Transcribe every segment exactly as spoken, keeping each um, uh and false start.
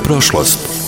prošlost.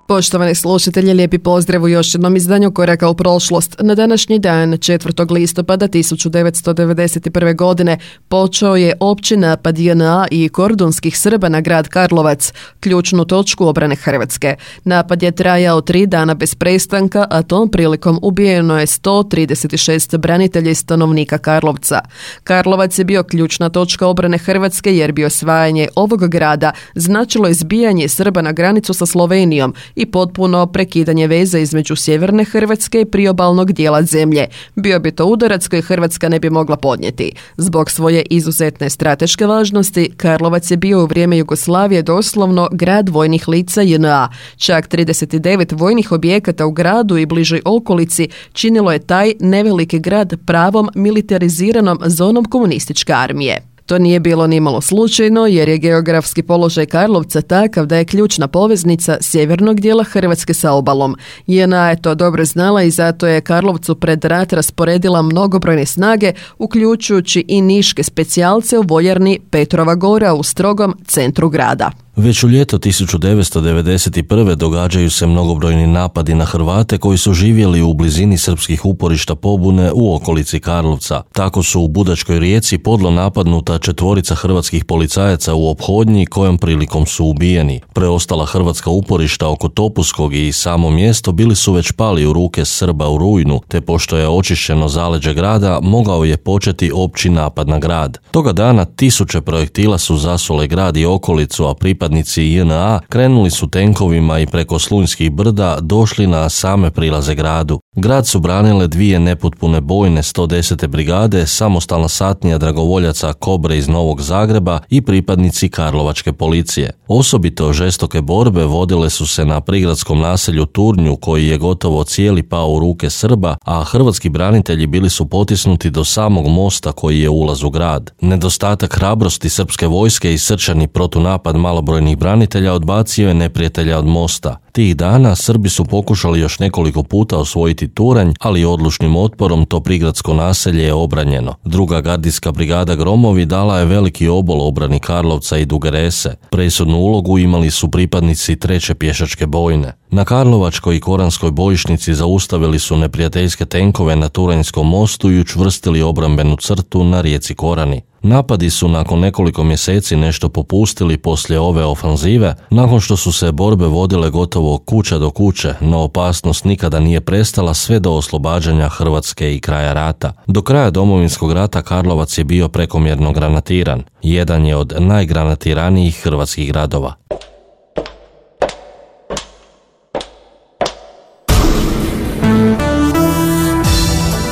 Poštovani slušatelji, lijepi pozdrav u još jednom izdanju Koraka u prošlost. Na današnji dan, četvrtog listopada tisuću devetsto devedeset prve. godine, počeo je opći napad J N A i kordunskih Srba na grad Karlovac, ključnu točku obrane Hrvatske. Napad je trajao tri dana bez prestanka, a tom prilikom ubijeno je sto trideset šest branitelja i stanovnika Karlovca. Karlovac je bio ključna točka obrane Hrvatske jer bi osvajanje ovog grada značilo izbijanje Srba na granicu sa Slovenijom i potpuno prekidanje veze između sjeverne Hrvatske i priobalnog dijela zemlje. Bio bi to udarac koji Hrvatska ne bi mogla podnijeti. Zbog svoje izuzetne strateške važnosti, Karlovac je bio u vrijeme Jugoslavije doslovno grad vojnih lica J N A. Čak trideset devet vojnih objekata u gradu i bližoj okolici činilo je taj neveliki grad pravom militariziranom zonom komunističke armije. To nije bilo nimalo slučajno jer je geografski položaj Karlovca takav da je ključna poveznica sjevernog dijela Hrvatske sa obalom. J N A je to dobro znala i zato je Karlovcu pred rat rasporedila mnogobrojne snage, uključujući i niške specijalce u vojarni Petrova Gora u strogom centru grada. Već u ljeto tisuću devetsto devedeset prve. događaju se mnogobrojni napadi na Hrvate koji su živjeli u blizini srpskih uporišta pobune u okolici Karlovca. Tako su u Budačkoj Rijeci podlo napadnuta četvorica hrvatskih policajaca u ophodnji kojom prilikom su ubijeni. Preostala hrvatska uporišta oko Topuskog i samo mjesto bili su već pali u ruke Srba u rujnu, te pošto je očišćeno zaleđe grada, mogao je početi opći napad na grad. Toga dana tisuće projektila su zasule grad i okolicu, a pripadnici Pripadnici J N A krenuli su tenkovima i preko Slunjskih brda došli na same prilaze gradu. Grad su branile dvije nepotpune bojne sto desete brigade, samostalna satnija dragovoljaca Kobre iz Novog Zagreba i pripadnici Karlovačke policije. Osobito žestoke borbe vodile su se na prigradskom naselju Turnju, koji je gotovo cijeli pao u ruke Srba, a hrvatski branitelji bili su potisnuti do samog mosta koji je ulaz u grad. Nedostatak hrabrosti srpske vojske i srčani protunapad malobrojnih branitelja odbacio je neprijatelja od mosta. Tih dana Srbi su pokušali još nekoliko puta osvojiti Turanj, ali odlučnim otporom to prigradsko naselje je obranjeno. Druga gardijska brigada Gromovi dala je veliki obol obrani Karlovca i Duge Rese. Presudnu ulogu imali su pripadnici treće pješačke bojne. Na Karlovačkoj i Koranskoj bojišnici zaustavili su neprijateljske tenkove na Turanjskom mostu i učvrstili obrambenu crtu na rijeci Korani. Napadi su nakon nekoliko mjeseci nešto popustili poslije ove ofanzive, nakon što su se borbe vodile gotovo kuća do kuće, no opasnost nikada nije prestala sve do oslobađanja Hrvatske i kraja rata. Do kraja Domovinskog rata Karlovac je bio prekomjerno granatiran. Jedan je od najgranatiranijih hrvatskih gradova.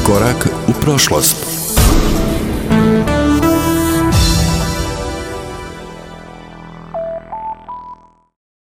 Korak u prošlost.